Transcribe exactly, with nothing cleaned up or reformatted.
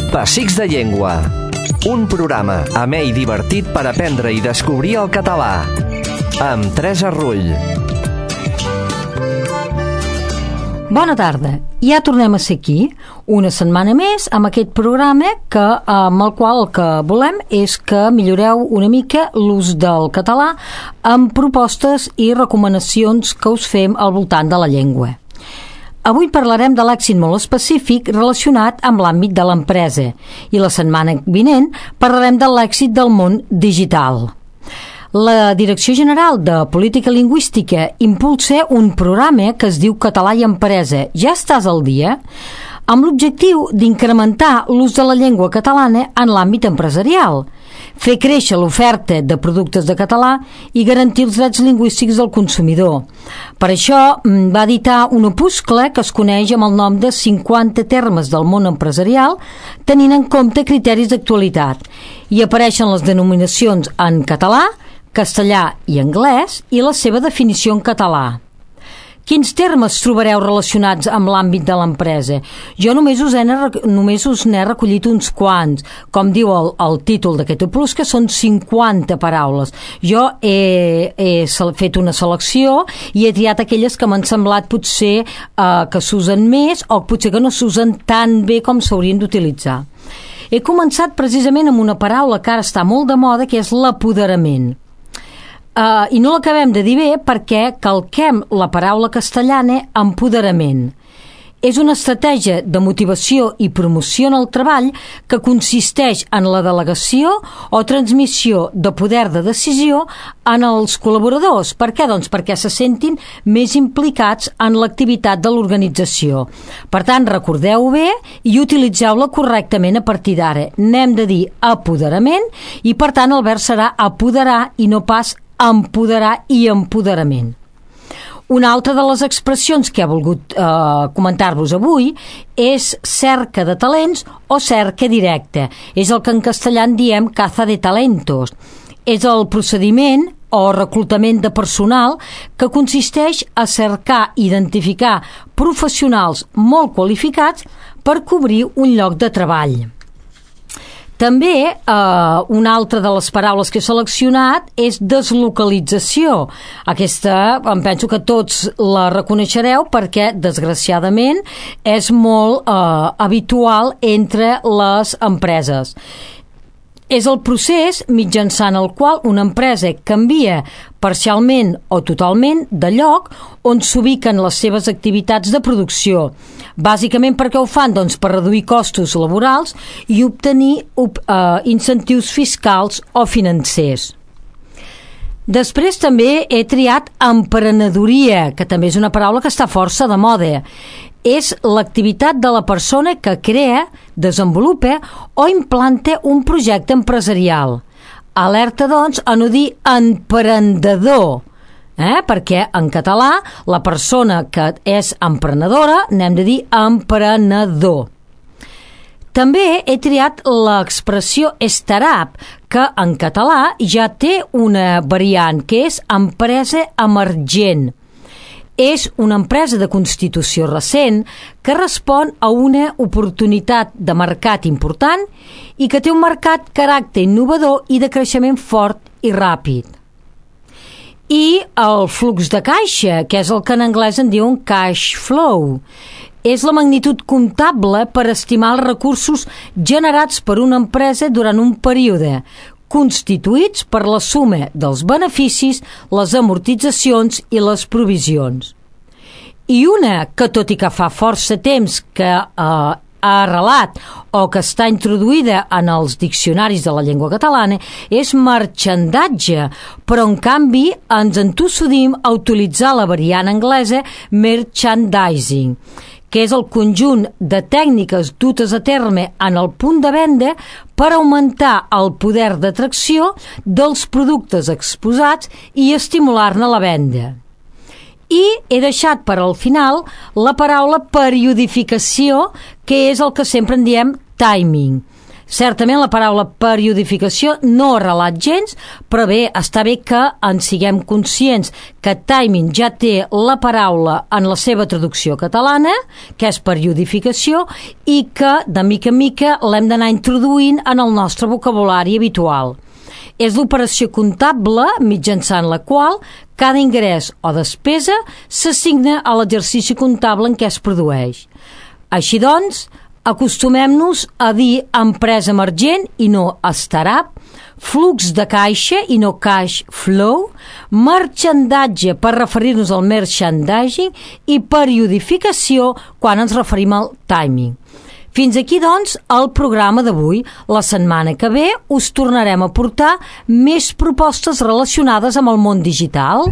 Pessics de Llengua. Un programa amè i divertit per aprendre i descobrir el català. Amb Teresa Rull. Bona tarda. Ja tornem a ser aquí, una setmana més, amb aquest programa que, amb el qual el que volem és que milloreu una mica l'ús del català amb propostes i recomanacions que us fem al voltant de la llengua. Avui parlarem de l'èxit molt específic relacionat amb l'àmbit de l'empresa i la setmana vinent parlarem de l'èxit del món digital. La Direcció General de Política Lingüística impulsa un programa que es diu Català i Empresa. Ja estàs al dia? Amb l'objectiu d'incrementar l'ús de la llengua catalana en l'àmbit empresarial, fer créixer l'oferta de productes de català i garantir els drets lingüístics del consumidor. Per això va editar un opuscle que es coneix amb el nom de cinquanta termes del món empresarial, tenint en compte criteris d'actualitat. Hi apareixen les denominacions en català, castellà i anglès i la seva definició en català. Quins termes trobareu relacionats amb l'àmbit de l'empresa? Jo només us, he, només us n'he recollit uns quants. Com diu el, el títol d'aquest opus, que són cinquanta paraules. Jo he, he fet una selecció i he triat aquelles que m'han semblat potser eh, que s'usen més o potser que no s'usen tan bé com s'haurien d'utilitzar. He començat precisament amb una paraula que ara està molt de moda, que és l'apoderament. Uh, I no l'acabem de dir bé perquè calquem la paraula castellana empoderament. És una estratègia de motivació i promoció en el treball que consisteix en la delegació o transmissió de poder de decisió en els col·laboradors. Per què? Doncs perquè se sentin més implicats en l'activitat de l'organització. Per tant, recordeu-ho bé i utilitzeu-la correctament a partir d'ara. N'hem de dir apoderament i, per tant, el verb serà apoderar i no pas empoderar i empoderament. Una altra de les expressions que he volgut eh, comentar-vos avui és cerca de talents o cerca directa. És el que en castellà en diem caza de talentos. És el procediment o reclutament de personal que consisteix a cercar i identificar professionals molt qualificats per cobrir un lloc de treball. També eh, una altra de les paraules que he seleccionat és deslocalització. Aquesta em penso que tots la reconeixereu perquè, desgraciadament, és molt eh, habitual entre les empreses. És el procés mitjançant el qual una empresa canvia parcialment o totalment de lloc on s'ubiquen les seves activitats de producció. Bàsicament per què ho fan? Doncs per reduir costos laborals i obtenir uh, incentius fiscals o financers. Després també he triat emprenedoria, que també és una paraula que està força de moda. És l'activitat de la persona que crea, desenvolupa o implanta un projecte empresarial. Alerta, doncs, a no dir emprendedor, eh? Perquè en català la persona que és emprenedora n'hem de dir emprenedor. També he triat l'expressió startup, que en català ja té una variant, que és empresa emergent. És una empresa de constitució recent que respon a una oportunitat de mercat important i que té un mercat caràcter innovador i de creixement fort i ràpid. I el flux de caixa, que és el que en anglès en diuen cash flow, és la magnitud comptable per estimar els recursos generats per una empresa durant un període, constituïts per la suma dels beneficis, les amortitzacions i les provisions. I una que, tot i que fa força temps que eh, ha arrelat o que està introduïda en els diccionaris de la llengua catalana, és marxandatge, però en canvi ens entossudim a utilitzar la variant anglesa merchandising, que és el conjunt de tècniques dutes a terme en el punt de venda per augmentar el poder d'atracció dels productes exposats i estimular-ne la venda. I he deixat per al final la paraula periodificació, que és el que sempre en diem timing. Certament la paraula periodificació no ha relat gens, però bé, està bé que en siguem conscients que timing ja té la paraula en la seva traducció catalana, que és periodificació, i que de mica en mica l'hem d'anar introduint en el nostre vocabulari habitual. És l'operació comptable mitjançant la qual cada ingrés o despesa s'assigna a l'exercici comptable en què es produeix. Així doncs, acostumem-nos a dir empresa emergent i no startup, flux de caixa i no cash flow, marxandatge per referir-nos al merchandising i periodificació quan ens referim al timing. Fins aquí, doncs, el programa d'avui. La setmana que ve us tornarem a portar més propostes relacionades amb el món digital.